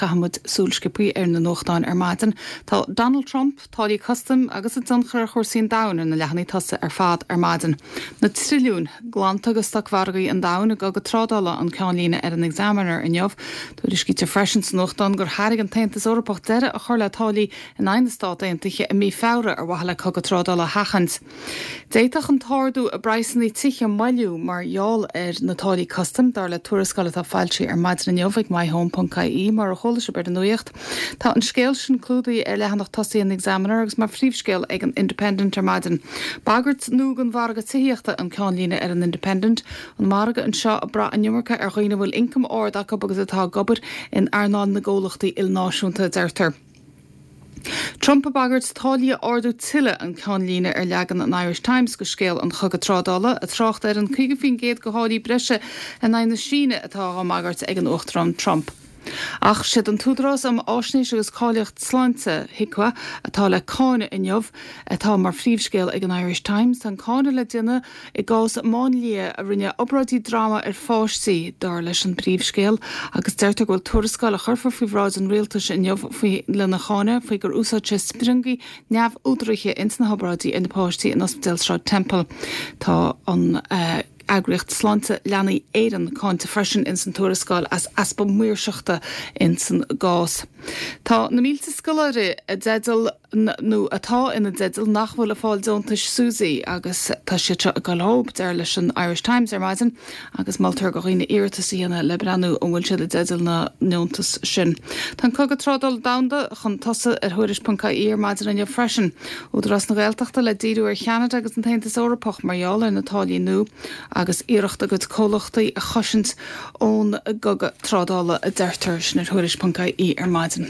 Caithfidh muid súil sciobthaí ar na nuachtáin ar maidin. Tá Donald Trump, táillí custaim agus a dtionchar ar chúrsaí an domhain ar na leathanaigh tosaigh ar fad ar maidin. Na trilliúin glanta go stocmhargaí an domhain i gcogadh trádála an ceannlíne ar an Examiner inniu. Tuairiscítear freisin sa nuachtán gur thairg an tAontas Eorpach deireadh a chur le táillí in aghaidh na Stát Aontaithe i mí Feabhra ar mhaithe le cogadh trádála a sheachaint. D'fhéadfadh an t-ardú i bpraghsanna tithe moilliú mar gheall ar na táillí custaim, dar le tuarascáil atá foilsithe ar maidin inniu ag myhome.ie, mar a chuala sibh ar an nuacht. Tá an scéal sin clúdaithe ar leathanach tosaigh an Examiner agus mar phríomhscéal ag an Independent ar maidin. Bagairt nua don mhargadh tithíochta an ceannlíne ar an Independent. An margadh anseo ag brath an iomarca ar dhaoine a bhfuil ioncam ard acu agus atá ag obair in earnáil na gcomhlachtaí ilnáisiúnta, a deirtear. Trump ag bagairt táillí a ardú tuilleadh an ceannlíne ar leagan an Irish Times de scéal an chogaidh trádála, ag trácht ar an 50% de tháillí breise in aghaidh na Síne atá á mbagairt ag an Uachtarán Trump. Ach siad an tÚdarás um Fháisnéis agus Cáilíocht Sláinte, HIQA, atá le cáineadh inniu atá mar phríomhscéal ag an Irish Times. Tá an cáineadh le déanamh I gcás máinlia a rinne obráidí droma ar pháistí, dar leis an bpríomhscéal, agus deirtear go bhfuil tuarascáil a chuirfear faoi bhráid an rialtais inniu faoi lena cháineadh faoi gur úsáid sé spriongaí neamhúdaraithe ins na hobráidí ar na páistí in Ospidéal Sráid Temple. Tá an eagraíocht Sláinte Leanaí Éireann cáinte freisin ins an tuarascáil as easpa maoirseachta ins an gcás. Tá na mílte scoláire i dteideal nó atá ina dteideal nach bhfuil ag fáil deontais SUSI agus tá siad seo ag goil dhób, dar leis an Irish Times ar maidin agus moltar do dhaoine iarratas a dhéanamh le breathnú an bhfuil siad i dteideal na ndeontas sin. Tá an cogadh trádála domhanda chun tosaigh ar Thuairisc.ie ar maidin inniu freisin. Údarás na Gaeltachta le díriú ar Cheanada agus an tAontas Eorpach mar gheall ar na táillí nua agus iarracht a gcuid comhlachtaí a chosaint ón gcogadh trádála a deirtear. Sin ar Thuairisc.ie ar maidin.